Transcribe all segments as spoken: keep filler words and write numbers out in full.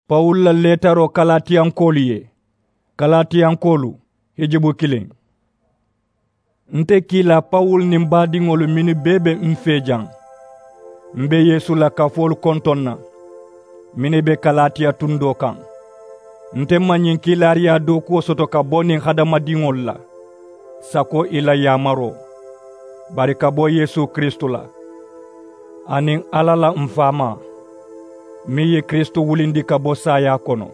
Pawulu la leetaroo kalaatiyankoolu ye. Kalaatiyankoolu, hijubu kiliŋ. Nte kiilaa pawulu niŋ baadiŋolu mennu bee be m fee jaŋ, m be yeesu la kafoolu kontoŋ na mennu be kalaatiya tundoo kaŋ. Nte maŋ ñiŋ kiilaariyaa dookuwo soto ka bo niŋ hadamadiŋolu la sako ì la yaamaroo, bari ka bo yeesu kiristu la, aniŋ alla la m faamaa meŋ ye kiristu wulindi ka bo saayaa kono.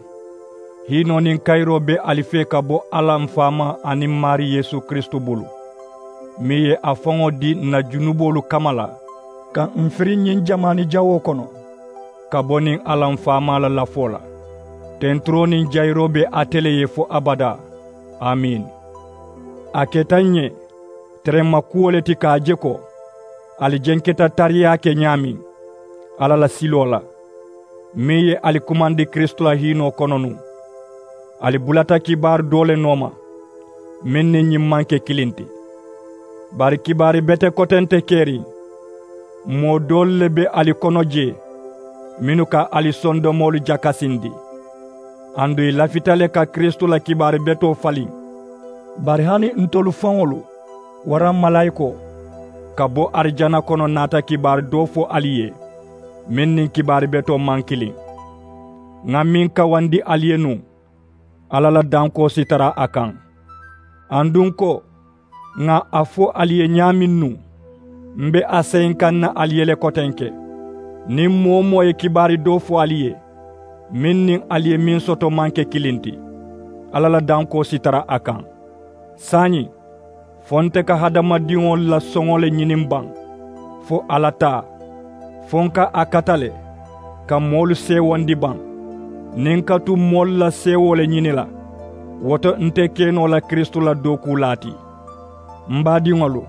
Hiinoo niŋ kayiroo be ali fee ka bo alla m faamaa aniŋ maarii yeesu kiristu bulu, meŋ ye a faŋo dii ǹ na junuboolu kamma la, ka m firi ñiŋ jamaani jawoo kono, ka bo niŋ alla m faamaa la lafoo la. Tenturoo niŋ jayiroo be ate le ye fo abadaa. Amiin. A keta ǹ ye terema kuwo le ti ka a je ko ali jenketa tariyaa ke ñaameŋ alla la siloo la, meŋ ye ali kumandi kiristu la hiinoo kono nuŋ. Ali bulata kibaari doo le nooma, meŋ niŋ ñiŋ maŋ ke kiliŋ ti. Bari kibaari betekote nte keriŋ, moo doolu le be ali kono jee mennu ka ali sondomoolu jakasindi. Aduŋ ì lafita le ka kiristu la kibaari betoo faliŋ. Bari hani ntolu faŋolu waraŋ malaayikoo ka bo arijana kono naata kibaari doo fo ali ye, meŋ niŋ kibaari betoo maŋ kiliŋ. Ŋa meŋ kawandi ali ye nuŋ, alla la dankoo si tara a kaŋ. Aduŋ ko ŋà a fo ali ye ñaameŋ nuŋ, m be a sayinkaŋ na ali ye le kotenke, niŋ moo-wo-moo ye kibaari doo fo ali ye, meŋ niŋ ali ye meŋ soto maŋ ke kiliŋ ti, alla la dankoo si tara a kaŋ. Saayiŋ, fo nte ka hadamadiŋolu la soŋo le ñini baŋ, fo a la taa? Fo n ka a kata le ka moolu seewondi baŋ? Niŋ n ka tu moolu la seewoo le ñini la, wo to nte ke noo la kiristu la dookuulaa ti. M baadiŋolu,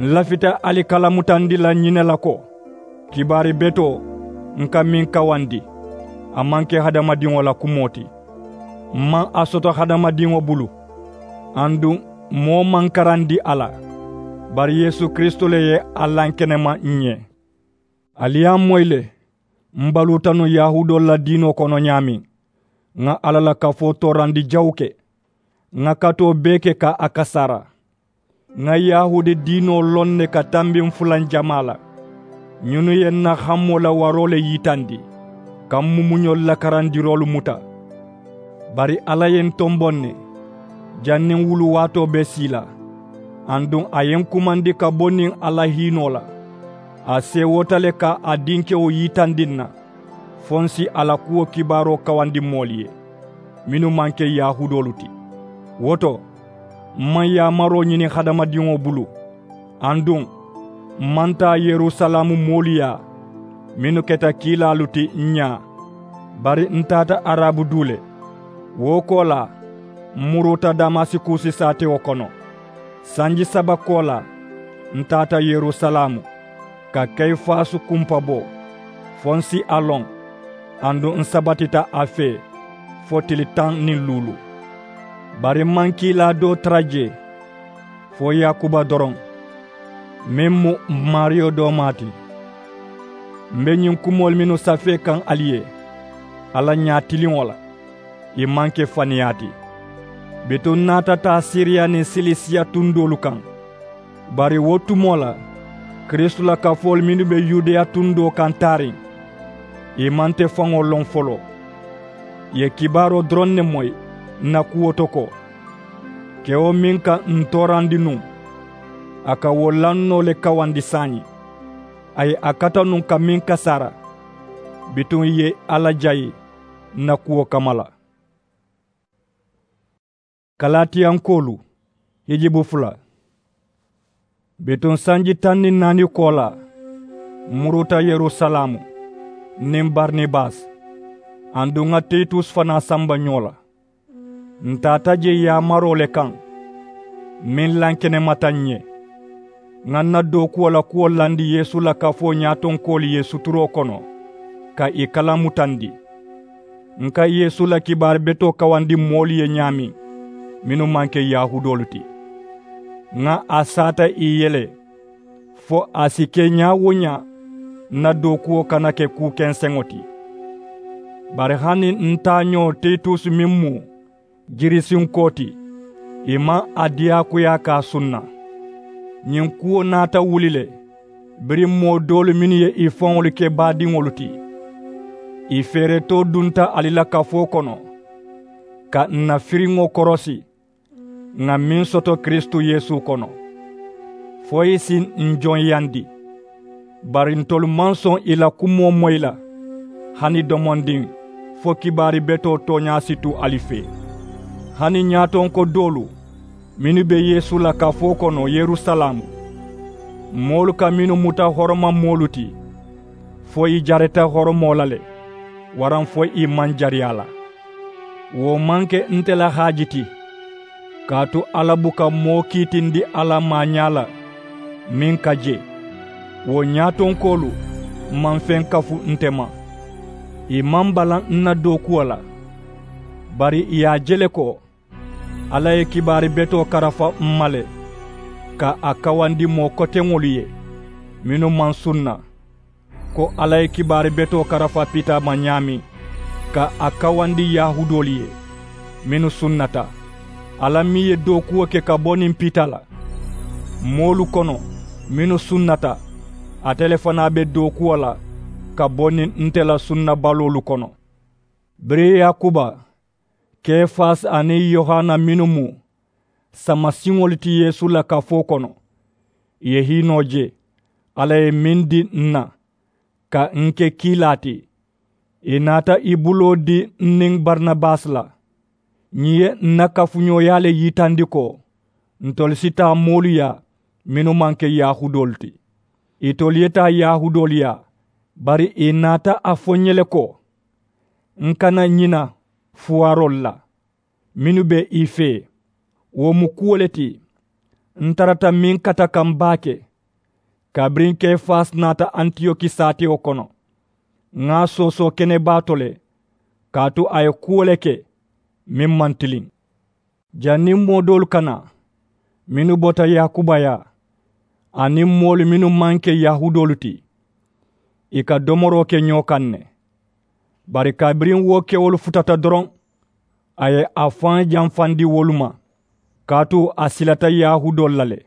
n lafita ali kalamutandi la ñine la ko, kibaari betoo, n ka meŋ kawandi, a maŋ ke hadamadiŋo la kumoo ti. M maŋ a soto hadamadiŋo bulu, aduŋ moo maŋ karandi a la, bari yeesu kiristu le ye a lankenema n ye. Ali ye a moyi le, m baluuta nuŋ yahuudoolu la diinoo kono ñaameŋ, ŋa alla la kafoo toorandi jawu ke, ŋa katoo bee ke ka a kasaara. Ŋa yahuudi diinoo loŋ ne ka tambi m fulaŋ jamaa la, ñunnu ye n na hamoo la waroo le yitandi, ka m mumuñolu la karandiroolu muta. Bari alla ye n tomboŋ ne, janniŋ wuluwaatoo be sii la, aduŋ a ye n kumandi ka bo niŋ a la hiinoo la. A seewoota le ka a dinkewo yitandi n na, fo n si a la kuwo kibaaroo kawandi moolu ye, mennu maŋ ke yahuudoolu ti. Wo to, m maŋ yaamaroo ñini hadamadiŋo bulu, aduŋ m maŋ taa yerusalaamu moolu yaa, mennu keta kiilaalu ti n ñaa, bari n taata arabu duu le. Wo koolaa, m muruuta damasikusi saatewo kono. Sanji saba koolaa, n taata yerusalaamu ka kayifasu kumpa bo, fo n si a loŋ, aduŋ n sabatita a fee fo tili taŋ niŋ luulu. Bari m maŋ kiilaa doo tara jee, fo yaakuba doroŋ, meŋ mu m maariyo doomaa ti. M be ñiŋ kumoolu mennu safee kaŋ ali ye alla ñaatiliŋo la, ì maŋ ke faniyaa ti. Bituŋ n naata taa siriya niŋ silisiya tundoolu kaŋ. Bari wo tumoo la, kiristu la kafoolu mennu be yudeya tundoo kaŋ taariŋ, ì maŋ nte faŋo loŋ foloo. Ì ye kibaaroo doroŋ ne moyi n na kuwo to ko, kewo meŋ ka n toorandi nuŋ, a ka wo laŋ noo le kawandi saayiŋ. A ye a kata nuŋ ka meŋ kasaara, bituŋ ì ye alla jayi n na kuwo kamma la. Kalaatiyankoolu, hijibu fula. Bituŋ sanji taŋ niŋ naani koolaa, m muruuta yerusalaamu niŋ barinabasi, aduŋ ŋa titus fanaa samba ñoo la. N taata jee yaamaroo le kaŋ, meŋ lankenemata ǹ ye. Ŋa n na dookuwo la kuwo landi yeesu la kafoo ñaatonkoolu ye suturoo kono, ka ì kalamutandi. N ka yeesu la kibaari betoo kawandi moolu ye ñaameŋ, mennu maŋ ke yahuudoolu ti. Ŋa a saata ì ye le, fo a si ke ñaa-wo-ñaa, n na dookuwo kana ke kuu kenseŋo ti. Bari hani n taañoo titusi meŋ mu jirisinkoo ti, ì maŋ a diyaakuyaa ka a sunna. Ñiŋ kuwo naata wuli le biriŋ moo doolu mennu ye ì faŋolu ke baadiŋolu ti, ì feeretoo dunta ali la kafoo kono ka n na firiŋo korosi, ŋà meŋ soto kiristu yeesu kono, fo ì si n joŋ yandi. Bari ntolu maŋ soŋ ì la kumoo moyi la hani domondiŋ, fo kibaari betoo tooñaa si tu ali fee. Hani ñaatonko doolu mennu be yeesu la kafoo kono yerusalaamu, moolu ka mennu muta horoma moolu ti, fo ì jarita horomoo la le waraŋ fo ì maŋ jari a la. Wo maŋ ke nte la haaji ti, kaatu alla buka moo kiitindi a la maañaa la meŋ ka je. Wo ñaatonkoolu maŋ feŋ kafu nte ma. Ì maŋ bala n na dookuwo la, bari ì ye a je le ko alla ye kibaari betoo karafa m ma le ka a kawandi moo koteŋolu ye mennu maŋ sunna, ko alla ye kibaari betoo karafa pita ma ñaameŋ ka a kawandi yahuudoolu ye mennu sunnata. Alla meŋ ye dookuwo ke ka bo niŋ pita la moolu kono mennu sunnata, ate le fanaa be dookuwo la ka bo niŋ nte la sunna baloolu kono. Biriŋ yakuba, kefasi aniŋ yohana mennu mu samasiŋolu ti yeesu la kafoo kono, ì ye hiinoo je alla ye meŋ dii n na ka n ke kiilaa ti. Ì naata ì buloo dii n niŋ barinabasi la. Ñiŋ ye n na kafuñooyaa le yitandi ko ntolu si taa moolu yaa mennu maŋ ke yahuudoolu ti. Itolu ye taa yahuudoolu yaa, bari ì naata a fo n ye le ko n kana ñina fuwaaroolu la mennu be ì fee. Wo mu kuwo le ti n tarata meŋ kata kaŋ baake kabiriŋ kefasi naata antiyoki saatewo kono. Ŋà a soosoo kenebaa to le, kaatu a ye kuwo le ke meŋ maŋ tiliŋ. Janniŋ moo doolu ka naa mennu bota yakuba yaa, aniŋ moolu mennu maŋ ke yahuudoolu ti, ì ka domoroo ke ñoo kaŋ ne. Bari kabiriŋ wo kewolu futata doroŋ, a ye a faŋ janfandi wolu ma, kaatu a silata yahuudoolu la le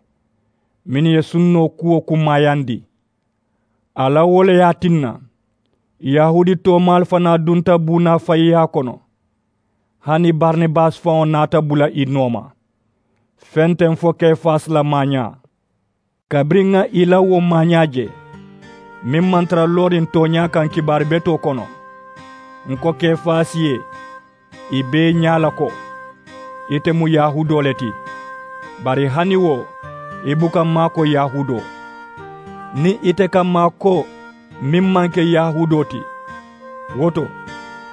mennu ye sunnoo kuwo kunmaayandi. A la wo le ye a tinna yahuudi toomaalu fanaa dunta buunaa fayiyaa kono. Hani barinabasi faŋo naata bula ì nooma. Feŋ te n fo kefasi la maañaa. Kabiriŋ ŋa ì la wo maañaa je meŋ maŋ tara looriŋ tooñaa kaŋ kibaari betoo kono, n ko kefasi ye ì bee ñaa la ko, ite mu yahuudoo le ti. Bari hani wo, i buka maako yahuudoo. Niŋ ite ka maako meŋ maŋ ke yahuudoo ti, wo to,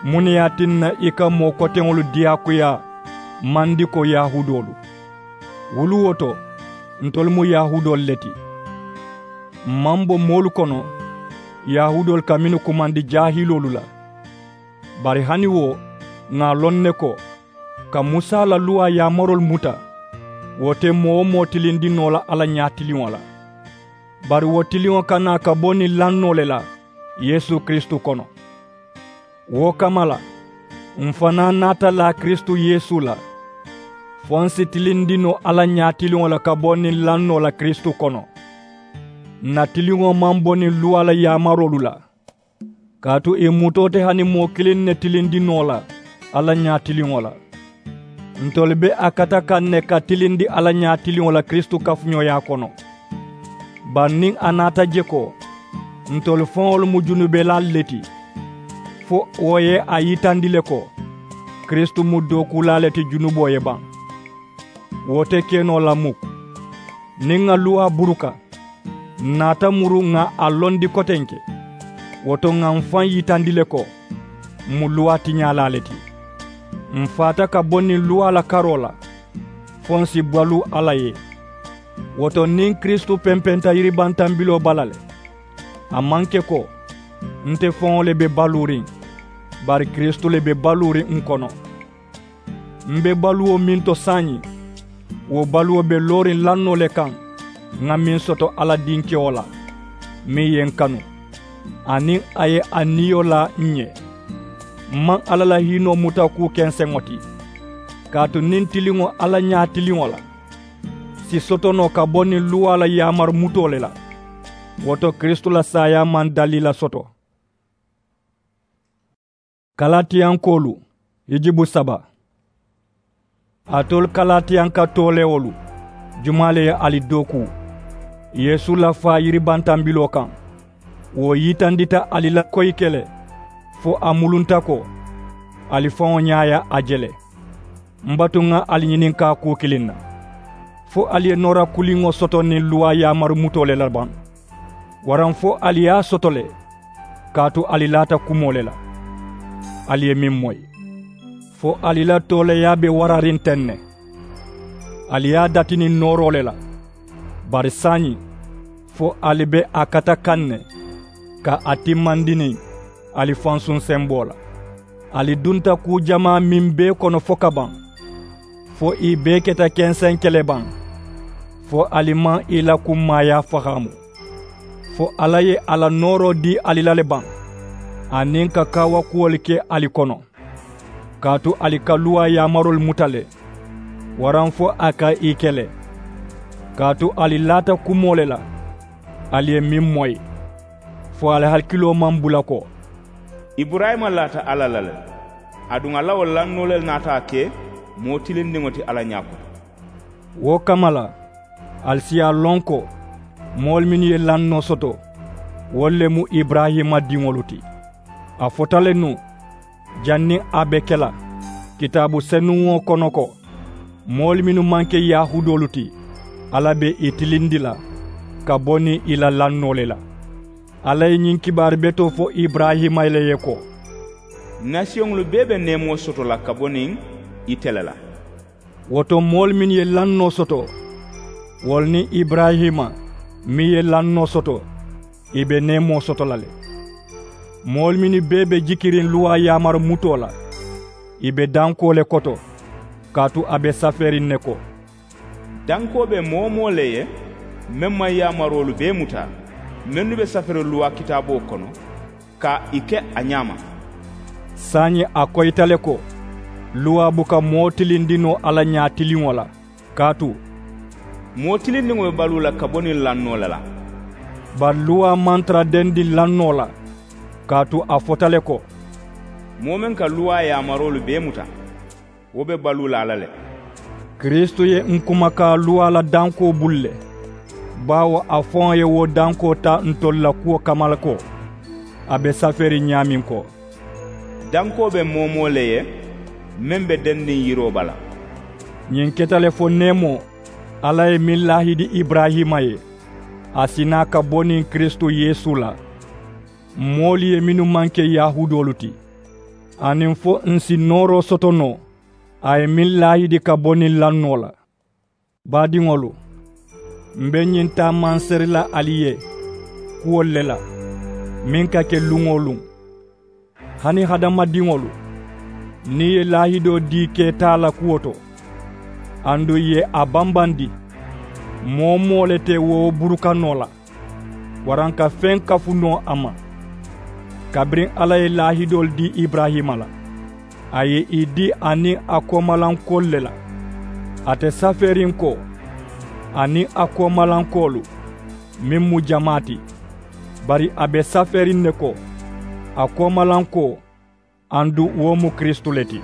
muŋ ne ye a tinna i ka moo koteŋolu diyaakuyaa mandiko yahuudoolu? Wulu wo to, ntolu mu yahuudoolu le ti. M maŋ bo moolu kono yahuudoolu ka mennu kumandi jaahiloolu la. Bari hani wo, ŋà a loŋ ne ko ka musa la luwaa yaamaroolu muta, wo te moo-wo-moo tilindiŋ noo la alla ñaatiliŋo la. Bari wo tiliŋo ka naa ka bo niŋ lannoo le la yeesu kiristu kono. Wo kamma la, m fanaa naata laa kiristu yeesu la, fo n si tilindiŋ noo alla ñaatiliŋo la ka bo niŋ lannoo la kiristu kono. N na tiliŋo maŋ bo niŋ luwaa la yaamaroolu la. Kaatu ì mutoo te hani moo kiliŋ ne tilindiŋ noo la alla ñaatiliŋo la. Ntolu be a kata kaŋ ne ka tilindi alla ñaatiliŋo la kiristu kafuñooyaa kono. Bari niŋ a naata je ko ntolu faŋolu mu junubelaalu le ti, fo wo ye a yitandi le ko kiristu mu dookuulaa le ti junuboo ye baŋ. Wo te ke noo la mukku. Niŋ ŋà luwaa buruka, n naata muru ŋà a londi kotenke. Wo to ŋà m faŋ yitandi le ko m mu luwaa tiñaalaa le ti. M faata ka bo niŋ luwaa la karoo la, fo n si baluu alla ye. Wo to niŋ kiristu pempenta yiribantambiloo bala le, a maŋ ke ko nte faŋo le be baluuriŋ, bari kiristu le be baluuriŋ n kono. M be baluwo meŋ to saayiŋ, wo baluwo be looriŋ lannoo le kaŋ ŋa meŋ soto alla dinkewo la, meŋ ye n kanu, aniŋ a ye a niyo laa n ye. M maŋ alla la hiinoo muta kuu kenseŋo ti. Kaatu niŋ tiliŋo alla ñaa tiliŋo la si soto noo ka bo niŋ luwaa la yaamari mutoo le la, wo to kiristu la saayaa maŋ daliila soto. Kalatiyankoolu, hijibu saba. Alitolu kalatiyanka toolewolu, jumaa le ye ali dookuu yeesu la faa yiribantambiloo kaŋ? Wo yitandita ali la koyi ke le, fo a mulunta ko ali faŋo ñaaya a je le. M batu ŋa ali ñininkaa kuu kiliŋ na, fo ali ye noora kuliŋo soto niŋ luwaa yaamari mutoo le la baŋ? Waraŋ fo ali ye a soto le? Kaatu ali laata kumoo le la, ali ye meŋ moyi, fo ali la tooleeyaa be warariŋ teŋ ne. Ali ye a dati niŋ nooroo le la, bari saayiŋ fo ali be a kata kaŋ ne, ka a timmandi niŋ ali fansuŋ semboo la. Ali dunta kuu jamaa meŋ bee kono fokabaŋ, fo ì bee keta kenseŋ ke le baŋ? Fo ali maŋ ì la kummaayaa fahaamu? Fo alla ye a la nooroo dii ali la le baŋ, aniŋ ka kaawakuwolu ke ali kono? Kaatu ali ka luwaa yaamaroolu muta le, waraŋ fo a ka ì ke le? Kaatu ali laata kumoo le la, ali ye meŋ moyi, fo ali hakiloo maŋ bula ko iburayima laata alla la le, aduŋ a la wo lannoo le naata a ke moo tilindiŋo ti alla ñaa kono. Wo kamma la, ali si a loŋ ko moolu mennu ye lannoo soto, wolu le mu iburayima diŋolu ti. A fota le nuŋ, janniŋ a be ke la kitaabu senuŋo kono ko, moolu mennu maŋ ke yahuudoolu ti, alla be ì tilindi la ka bo niŋ ì la lannoo le la. Alla ye ñiŋ kibaari betoo fo iburayima le ye ko, nasiyoŋolu bee be neemoo soto la ka bo niŋ ite le la. Wo to moolu mennu ye lannoo soto, wolu niŋ iburayima meŋ ye lannoo soto, ì be neemoo soto la le. Moolu mennu bee be jikiriŋ luwaa yaamari mutoo la, ì be dankoo le koto, kaatu a be safeeriŋ ne ko, dankoo be moo-wo-moo le ye meŋ maŋ yaamaroolu bee muta, mennu be safeeriŋ luwaa kitaaboo kono, ka ì ke a ñaama. Saayiŋ a koyita le ko luwaa buka moo tilindi noo alla ñaa tiliŋo la. Kaatu moo tilindiŋo be baluu la ka bo niŋ lannoo le la. Bari luwaa maŋ tara dendiŋ lannoo la. Kaatu a fota le ko, moo meŋ ka luwaa yaamaroolu bee muta, wo be baluu la a la le. Kiristu ye ǹ kumakaa luwaa la dankoo bulu le, baawo a faŋo ye wo dankoo taa ntolu la kuwo kamma le ko, a be safeeriŋ ñaameŋ ko, dankoo be moo-wo-moo le ye meŋ be dendiŋ yiroo bala. Ñiŋ keta le fo neemoo alla ye meŋ laahidi iburayima ye, a si naa ka bo niŋ kiristu yeesu la, moolu ye mennu maŋ ke yahuudoolu ti, aniŋ fo ǹ si nooroo soto noo a ye meŋ laahidi ka bo niŋ lannoo la. Baadiŋolu, m be ñiŋ taamanseri la ali ye kuwolu le la, meŋ ka ke luŋ-wo-luŋ. Hani hadamadiŋolu, niŋ ì ye laahidoo dii keetaa la kuwo to, aduŋ ì ye a bambandi, moo-wo-moo le te wo buruka noo la, waraŋ ka feŋ kafu noo a ma. Kabiriŋ alla ye laahidoolu dii iburayima la, a ye ì dii a niŋ a koomalankoolu le la. Ate safeeriŋ ko a niŋ a koomalankoolu, meŋ mu jamaa ti, bari a be safeeriŋ ne ko a koomalankoo, aduŋ wo mu kiristu le ti.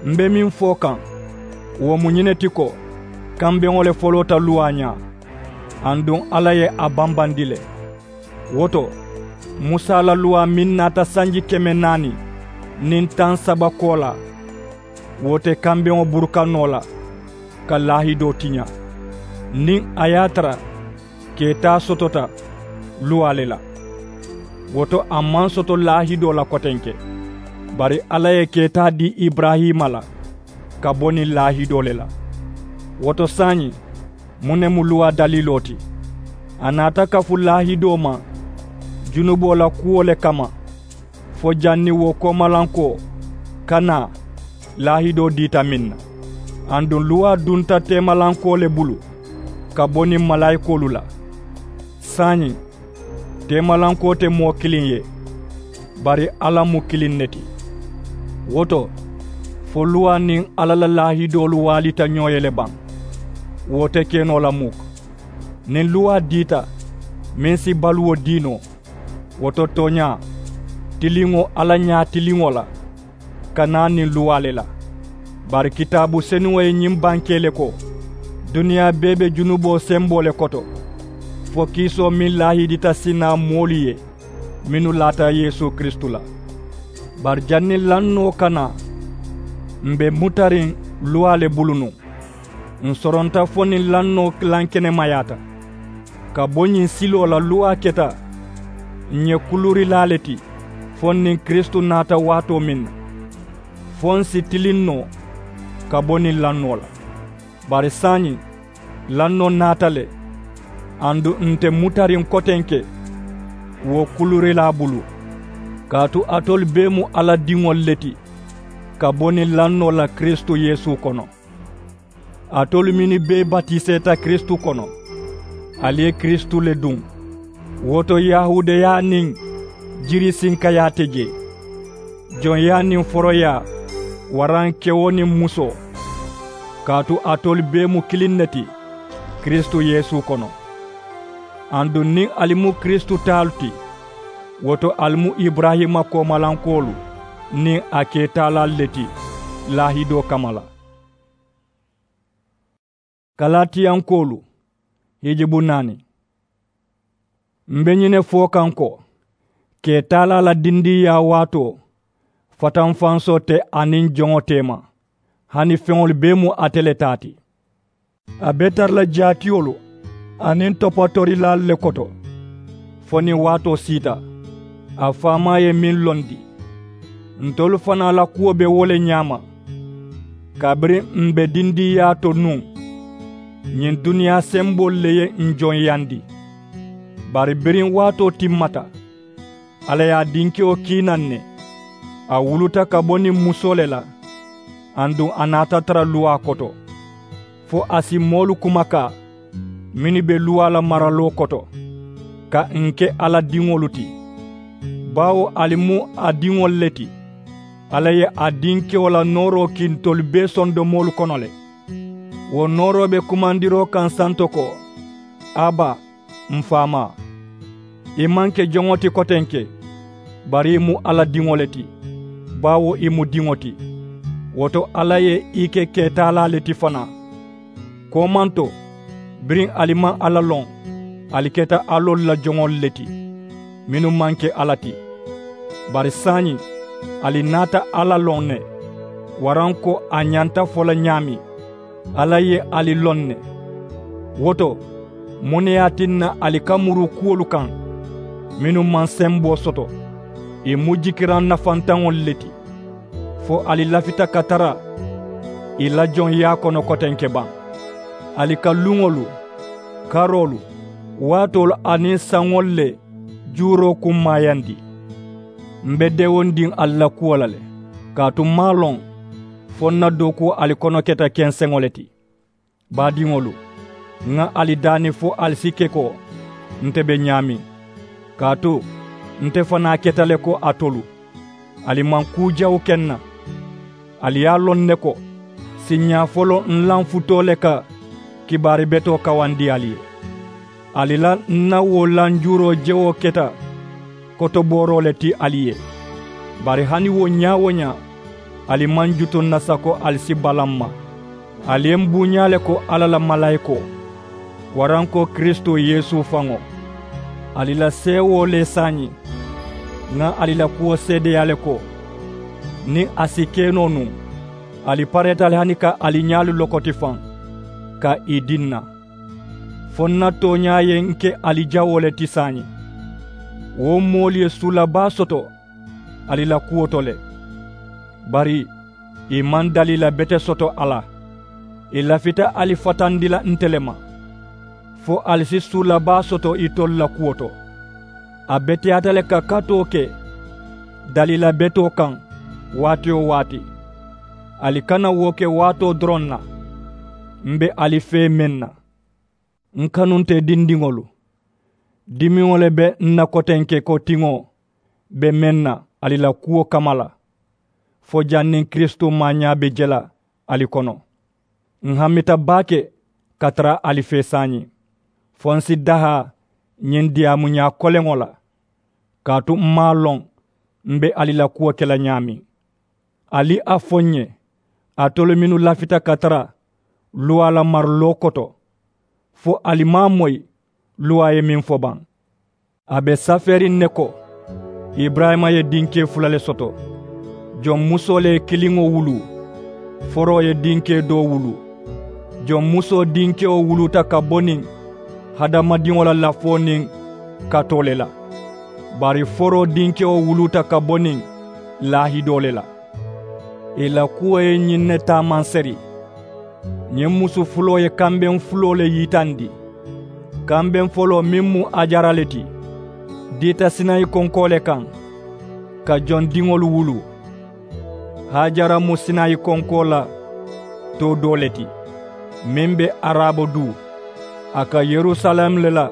M be meŋ fo kaŋ, wo mu ñiŋ ne ti ko, kambeŋo le foloota luwaa ñaa, aduŋ alla ye a bambandi le. Wo to, musa la luwaa meŋ naata sanji keme naani niŋ taŋ saba koolaa, wo te kambeŋo buruka noo la ka laahidoo tiñaa, niŋ a ye a tara keetaa sotota luwaa le la. Wo to a maŋ soto laahidoo la kotenke, bari alla ye keetaa dii iburayima la ka bo niŋ laahidoo le la. Wo to saayiŋ, muŋ ne mu luwaa daliiloo ti? A naata kafu laahidoo ma junuboo la kuwo le kamma, fo janniŋ wo koomalankoo ka naa laahidoo diita meŋ na. Aduŋ luwaa dunta teemalankoo le bulu ka bo niŋ malaayikoolu la. Saayiŋ, teemalankoo te moo kiliŋ ye, bari alla mu kiliŋ ne ti. Wo to, fo luwaa niŋ alla la laahidoolu waalita ñoo ye le baŋ? Wo te ke noo la muk. Niŋ luwaa diita meŋ si baluwo dii noo, wo to tooñaa tiliŋo alla ñaatiliŋo la ka naa niŋ luwaa le la. Bari kitaabu senuŋo ye ñiŋ bankee le ko, duniyaa bee be junuboo semboo le koto, fo kiisoo meŋ laahidita si naa moolu ye mennu laata yeesu kiristu la. Bari janniŋ lannoo ka naa, m̀ be mutariŋ luwaa le bulu nuŋ. Ǹ soronta fo niŋ lannoo lankenemayaata ka bo ñiŋ siloo la luwaa keta ǹ ye kuluurilaa le ti fo niŋ kiristu naata waatoo meŋ na, fo ǹ si tiliŋ noo ka bo niŋ lannoo la. Bari saayiŋ lannoo naata le, aduŋ ǹ te mutariŋ kotenke wo kuluurilaa bulu. Kaatu alitolu bee mu alla diŋolu le ti ka bo niŋ lannoo la kiristu yeesu kono. Alitolu mennu bee batiseeta kiristu kono, ali ye kiristu le duŋ. Wo to yahuudiyaa niŋ jirisinkayaa te jee, joŋyaa niŋ foroyaa, waraŋ kewo niŋ musoo. Kaatu alitolu bee mu kiliŋ ne ti kiristu yeesu kono. Aduŋ niŋ ali mu kiristu taalu ti, wo to ali mu iburayima koomalankoolu niŋ a keetaalaalu le ti laahidoo kamma la. Kalatiyankoolu hijibu naani. M̀ be ñiŋ ne fo kaŋ ko, keetaalaa la dindiŋyaa waatoo fatanfansoo te a niŋ joŋo teema, hani feŋolu bee mu ate le taa ti. A be tara la jaatiyolu aniŋ topatorilaalu le koto, fo niŋ waatoo siita a faamaa ye meŋ londi. Ntolu fanaa la kuwo be wo le ñaama. Kabiriŋ m̀ be dindiŋyaa to nuŋ, ñiŋ duniyaa semboolu le ye ǹ joŋ yandi. Bari biriŋ waatoo timmata, alla ye a dinkewo kii naŋ ne. A wuluta ka bo niŋ musoo le la, aduŋ a naata tara luwaa koto, fo a si moolu kumakaa mennu be luwaa la maraloo koto, ka ǹ ke alla diŋolu ti. Baawo ali mu a diŋolu le ti. Alla ye a dinkewo la nooroo kii ntolu bee sondomoolu kono le. Wo nooroo be kumandiroo kaŋ santo ko, abaa, m faamaa. I maŋ ke joŋo ti kotenke, bari i mu alla diŋo le ti, baawo i mu diŋo ti. Wo to alla ye i ke keetaalaa le ti fanaa. Koomanto, biriŋ ali maŋ alla loŋ, ali keta alloolu la joŋolu le ti, mennu maŋ ke alla ti. Bari saayiŋ ali naata alla loŋ ne, waraŋ ko a ñanta fo la ñaameŋ, alla ye ali loŋ ne. Wo to, muŋ ne ye a tinna ali ka muru kuwolu kaŋ mennu maŋ semboo soto? Ì mu jikiraŋ nafantaŋolu le ti, fo ali lafita ka tara ì la joŋyaa kono kotenke baŋ. Ali ka luŋolu, karoolu, waatoolu aniŋ saŋolu le juuroo kummaayandi. M be dewondiŋ ali la kuwo la le, kaatu m maŋ a loŋ fo n na dookuwo ali kono keta kenseŋo le ti. Baadiŋolu, ŋa ali daani fo ali si ke ko nte be ñaameŋ, kaatu nte fanaa keta le ko alitolu. Ali maŋ kuu jawu ke n na. Ali ye a loŋ ne ko, siiñaa foloo n lanfutoo le ka kibaari betoo kawandi ali ye. Ali la n na wo lanjuuroo jewoo keta kotobooroo le ti ali ye. Bari hani wo ñaa-wo-ñaa, ali maŋ jutu n na sako ali si bala m ma. Ali ye m buuñaa le ko alla la malaayikoo, waraŋ ko kiristu yeesu faŋo. Ali la seewoo le saayiŋ, ŋa ali la kuwo seedeyaa le ko, niŋ a si ke noo nuŋ, ali pareeta le hani ka ali ñaalu lokoti faŋ, ka ì dii n na. Fo n na tooñaa ye ǹ ke ali jawoo le ti saayiŋ. Wo moolu ye suula baa soto ali la kuwo to le. Bari ì maŋ daliila bete soto a la. Ì lafita ali fatandi la nte le ma, fo ali si suula baa soto itolu la kuwo to. A beteyaata le ka katoo ke daliila betoo kaŋ waati-wo-waati. Ali kana wo ke waatoo doroŋ na m be ali fee meŋ na. N kanuntee dindiŋolu, dimiŋo le be n na kotenke ko tiŋo be meŋ na ali la kuwo kamma la. fo janniŋ kiristu maañaa be je la ali kono. Ǹ hamita baake ka tara ali fee saayiŋ fo ǹ si dahaa ñiŋ diyaamu ñaa koleŋo la. Kaatu m maŋ a loŋ m be ali la kuwo ke la ñaameŋ. Ali a fo ǹ ye alitolu mennu lafita ka tara luwaa la mariloo koto, fo ali maŋ a moyi luwaa ye meŋ fo baŋ. A be safeeriŋ ne ko iburayima ye dinkee fula le soto. Joŋ musoo le ye kiliŋo wuluu. Foroo ye dinkee doo wuluu. Joŋ musoo dinkewo wuluuta ka bo niŋ hadamadiŋo la lafoo niŋ katoo le la. Bari foroo dinkewo wuluuta ka bo niŋ laahidoo le la. Ì la kuwo ye ñiŋ ne taamanseri. Ñiŋ musu fuloo ye kambeŋ fuloo le yitandi. Kambeŋ foloo meŋ mu hajara le ti diita sinayi konkoo le kaŋ ka joŋ diŋolu wuluu. Hajara mu sinayi konkoo la too doo le ti meŋ be arabo duu. A ka yerusalem le la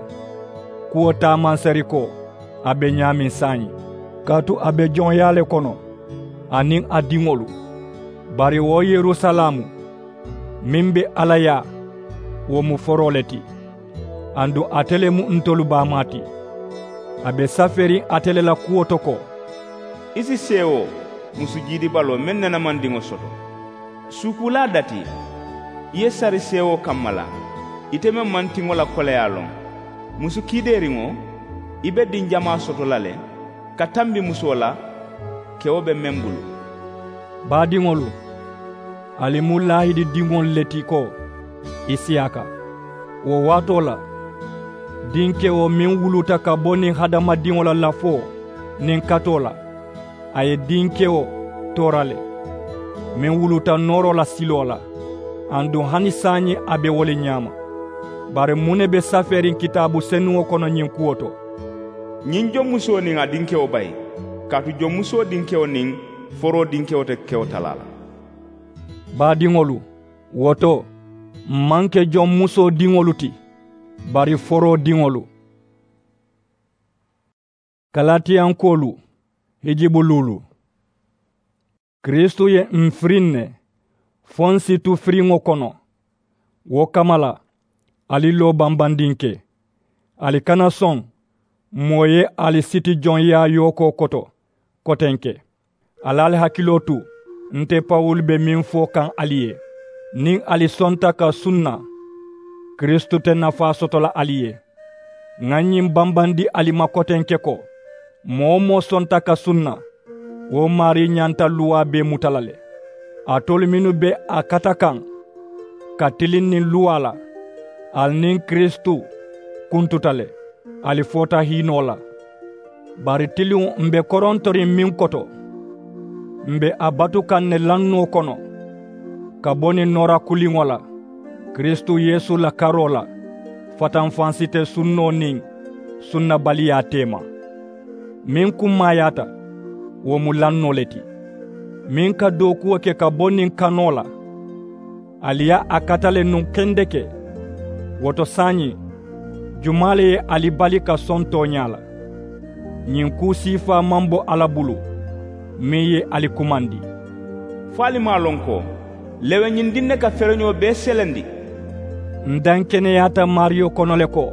kuwo taamanseri ko a be ñaameŋ saayiŋ. Kaatu a be joŋyaa le kono aniŋ a diŋolu. Bari wo yerusalaamu meŋ be alla yaa wo mu foroo le ti. Aduŋ ate le mu ntolu baamaa ti. A be safeeriŋ ate le la kuwo to ko i si seewoo musu jiidibaloo meŋ nenemandiŋo soto. Suukuulaa dati i ye sari seewoo kamma la. Ite meŋ maŋ tiŋo la koleyaa loŋ musu kiideeriŋo i be diŋ jamaa soto la le ka tambi musoo la kewo be meŋ bulu. Baadiŋolu, ali mu laahidi diŋolu le ti ko isiyaaka. Wo waatoo la dinkewo meŋ wuluuta ka bo niŋ hadamadiŋo la lafoo niŋ katoo la a ye dinkewo toora le meŋ wuluuta nooroo la siloo la. Aduŋ hani saayiŋ a be wo le ñaama. Bari muŋ ne be safeeriŋ kitaabu senuŋo kono ñiŋ kuwo to? Ñiŋ joŋ musoo niŋ a dinkewo bayi. Kaatu joŋ musoo dinkewo niŋ foroo dinkewo te kewo talaa la. Baadiŋolu, wo to m maŋ ke joŋ musoo diŋolu ti bari foroo diŋolu. Kalatiyankoolu, hijibu luulu. Kiristu ye m firiŋ ne fo m si tu firiŋo kono. Wo kamma la, ali loo bambandinke. Ali kana soŋ moo ye ali siti joŋyaa yookoo koto kotenke. Ali ali hakiloo tu nte pawulu be meŋ fo kaŋ ali ye. Niŋ ali sonta ka sunna, kiristu te nafaa soto la ali ye. Ŋa ñiŋ bambandi ali ma kotenke ko, moo-wo-moo sonta ka sunna, wo maarii ñanta luwaa bee muta la le. Alitolu mennu be a kata kaŋ ka tiliŋ niŋ luwaa la, ali niŋ kiristu kuntuta le. Ali foota hiinoo la. Bari tiliŋo m be korontoriŋ meŋ koto, m be a batu kaŋ ne lannoo kono ka bo niŋ noora kuliŋo la kiristu yeesu la karoo la. Fatanfansite sunnoo niŋ sunnabaliyaa teema. Meŋ kummaayaata, wo mu lannoo le ti. Meŋ ka dookuwo ke ka bo niŋ kanoo la, ali ye a kata le nuŋ kendeke. Wo to saayiŋ, jumaa le ye ali bali ka soŋ tooñaa la? Ñiŋ kuu siifaa maŋ bo alla bulu meŋ ye ali kumandi. Fo ali maŋ a loŋ ko lewe ñiŋ diŋ ne ka fereñoo bee selendi? N dankeneyaata maariyo kono le ko,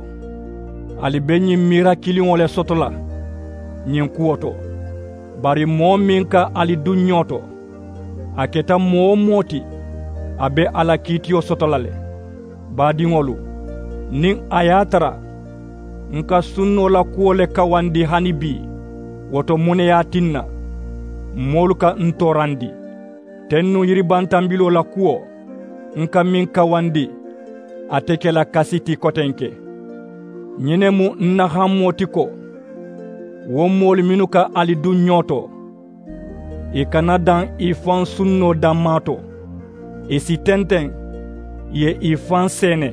ali be ñiŋ miira kiliŋo le soto la ñiŋ kuwo to. Bari moo meŋ ka ali duŋ ñoo to, a keta moo-wo-moo ti, a be a la kiitiyo soto la le. Baadiŋolu, niŋ a ye a tara n ka sunnoo la kuwo le kawandi hani bii, wo to muŋ ne ye a tinna moolu ka n toorandi? Teŋ nuŋ yiribantambiloo la kuwo n ka meŋ kawandi, a te ke la kasi ti kotenke. Ñiŋ ne mu n na hamoo ti ko, wo moolu mennu ka ali duŋ ñoo to, ì kana daŋ ì faŋ sunnoo dammaa to, ì si tenteŋ ì ye ì faŋ seene.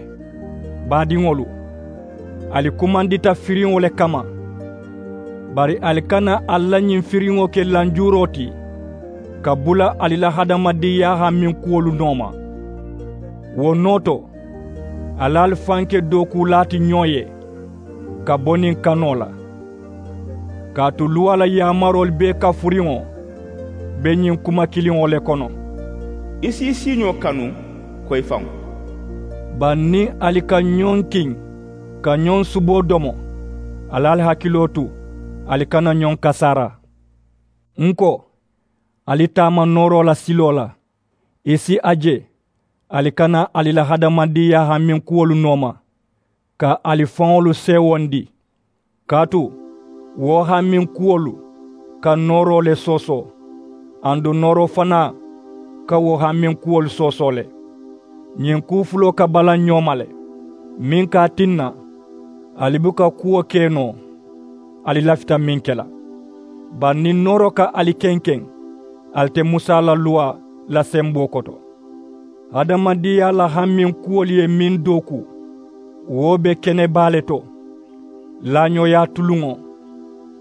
Baadiŋolu, ali kumandita firiŋo le kamma. Bari ali kana ali la ñiŋ firiŋo ke lanjuuroo ti ka bula ali la hadamadiŋyaa hamiŋ kuwolu nooma. Wo noo to, ali ali faŋ ke dookuulaa ti ñoo ye ka bo niŋ kanoo la. Kaatu luwaa la yaamaroolu bee kafuriŋo be ñiŋ kuma kiliŋo le kono. I si i siiñoo kanu ko i faŋo. Bari niŋ ali ka ñoŋ kiŋ ka ñoŋ suboo domo, ali ali hakiloo tu, ali kana ñoŋ kasaara. N ko, ali taama nooroo la siloo la, i si a je, ali kana ali la hadamadinyaa haminkuwolu nooma, ka ali faŋolu seewondi. Kaatu wo haminkuwolu ka nooroo le soosoo, aduŋ nooroo fanaa ka wo haminkuwolu soosoo le. Ñiŋ kuu fuloo ka bala ñooma le, meŋ ka a tinna ali buka kuwo ke noo ali lafita meŋ ke la. Bari niŋ nooroo ka ali kenkeŋ, ali te musa la luwaa la semboo koto. Hadamadinyaa la haminkuwolu ye meŋ dooku, wo be kene baa le to: laañooyaa tuluŋo,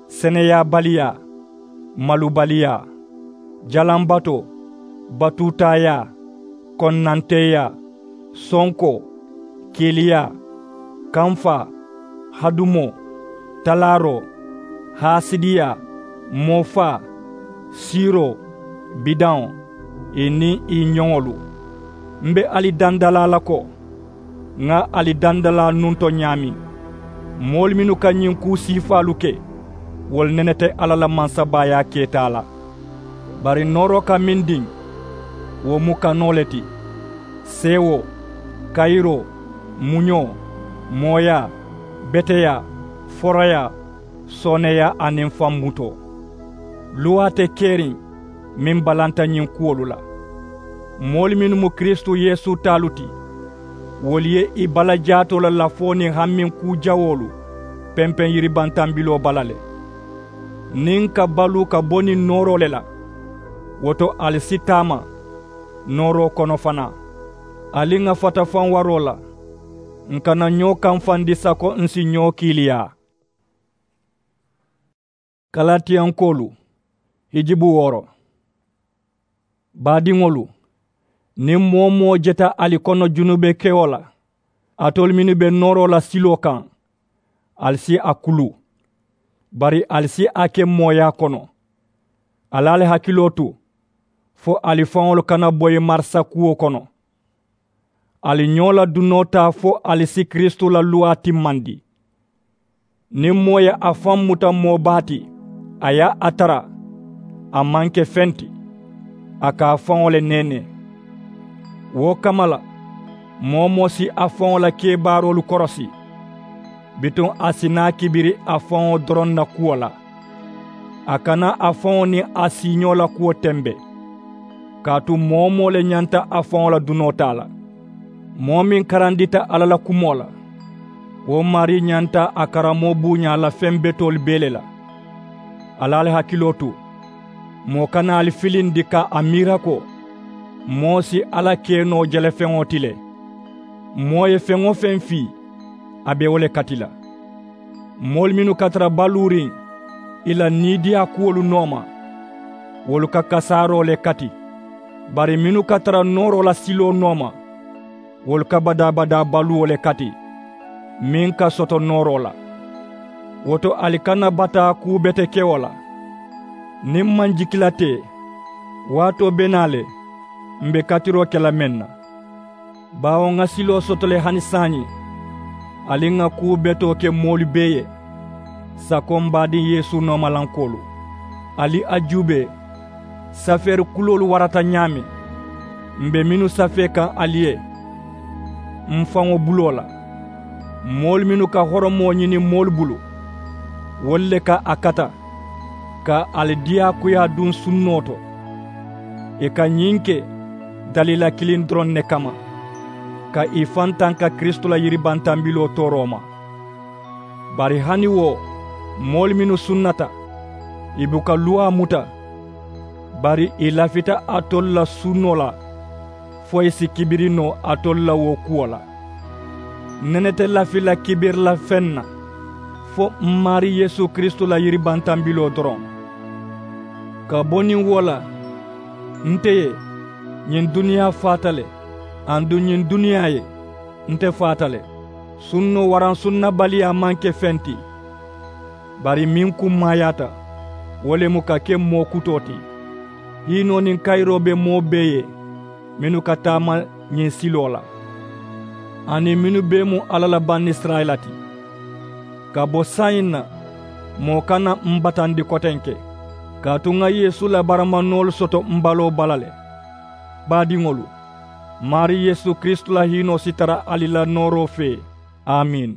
seneyaabaliyaa, malubaliyaa, jalambatoo, batuutaayaa, konnanteeyaa, sonkoo, kiiliyaa, kamfaa, hadumoo, talaaroo, haasidiyaa, moofaa, siiroo, bidaŋo, i niŋ i ñoŋolu. M be ali dandalaa la ko ŋa ali dandalaa nunto ñaameŋ. Moolu mennu ka ñiŋ kuu siifaalu ke, wolu nene te alla la mansabaayaa keetaa la. Bari nooroo ka meŋ diŋ, wo mu kanoo le ti: seewoo, kayiroo, muñoo, mooyaa, beteyaa, foroyaa, sooneeyaa aniŋ fanbutoo. Luwaa te keriŋ meŋ balanta ñiŋ kuwolu la. Moolu mennu mu kiristu yeesu taalu ti, wolu ye i bala jaatoo la lafoo niŋ haminkuu jawoolu pempeŋ yiribantambiloo bala le. Niŋ n ka baluu ka bo niŋ nooroo le la, wo to ali si taama nooroo kono fanaa. Ali ŋa fatafaŋ waroo la, n kana ñoo kamfandi sako n si ñoo kiiliyaa. Kalatiyankoolu, hijibu wooro. Baadiŋolu, niŋ moo-wo-moo jeta ali kono junubekewo la, alitolu mennu be nooroo la siloo kaŋ, ali si a kulu. Bari ali si a ke mooyaa kono. Ali ali hakiloo tu, fo ali faŋolu kana boyi marisa kuwo kono. Ali ñoo la dunoo taa fo ali si kiristu la luwaa timmandi. Niŋ moo ye a faŋ muta moo baa ti, a ye a tara a maŋ ke feŋ ti, a ka a faŋo le neenee. Wo kamma la, moo-wo-moo si a faŋo la kebaaroolu korosi, bituŋ a si naa kibiri a faŋo doroŋ na kuwo la. A kana a faŋo niŋ a siiñoo la kuwo tembe. Kaatu moo-wo-moo le ñanta a faŋo la dunoo taa la. Moo meŋ karandita alla la kumoo la, wo maarii ñanta a karamoo buuñaa la feŋ betoolu bee le la. Ali ali hakiloo tu, moo kana ali filindi ka a miira ko moo si alla ke noo jelefeŋo ti le. Moo ye feŋ-wo-feŋ fii, a be wo le kati la. Moolu mennu ka tara baluuriŋ i la niidiyaa kuwolu nooma, wolu ka kasaaroo le kati. Bari mennu ka tara nooroo la siloo nooma, wolu ka badaa-badaa baluwo le kati, meŋ ka soto nooroo la. Wo to, ali kana bataa kuu betekewo la. Niŋ m maŋ jiki la tee, waatoo be naa le, m be katiroo ke la meŋ na. Baawo ŋa siloo soto le hani saayiŋ. Ali ŋa kuu betoo ke moolu bee ye, sako m baadiŋ yeesu noomalankoolu. Ali a juubee, safeeri kuloolu warata ñaameŋ, m be mennu safee kaŋ ali ye m faŋo buloo la. Moolu mennu ka horomoo ñini moolu bulu, wolu le ka a kata ka ali diyaakuyaa duŋ sunnoo to. Ì ka ñiŋ ke daliila kiliŋ doroŋ ne kamma, ka ì fantaŋ ka kiristu la yiribantambiloo tooroo ma. Bari hani wo, moolu mennu sunnata, ì buka luwaa muta. Bari ì lafita alitolu la sunnoo la, fo ì si kibiri noo alitolu la wo kuwo la. N nene te lafi la kibiri la feŋ na, fo m maarii yeesu kiristu la yiribantambiloo doroŋ. Ka bo niŋ wo la, nte ye, ñiŋ duniyaa faata le, aduŋ ñiŋ duniyaa ye, nte faata le. Sunnoo waraŋ sunnabaliyaa maŋ ke feŋ ti, bari meŋ kummaayaata, wo le mu ka ke moo kutoo ti. Hiinoo niŋ kayiroo be moo bee ye mennu ka taama ñiŋ siloo la, aniŋ mennu bee mu alla la banisirayila ti. Ka bo saayiŋ na, moo kana m batandi kotenke, kaatu ŋa yeesu la baramanoolu soto m baloo bala le. Baadiŋolu, maarii yeesu kiristu la hiinoo si tara ali la nooroo fee. Amiin.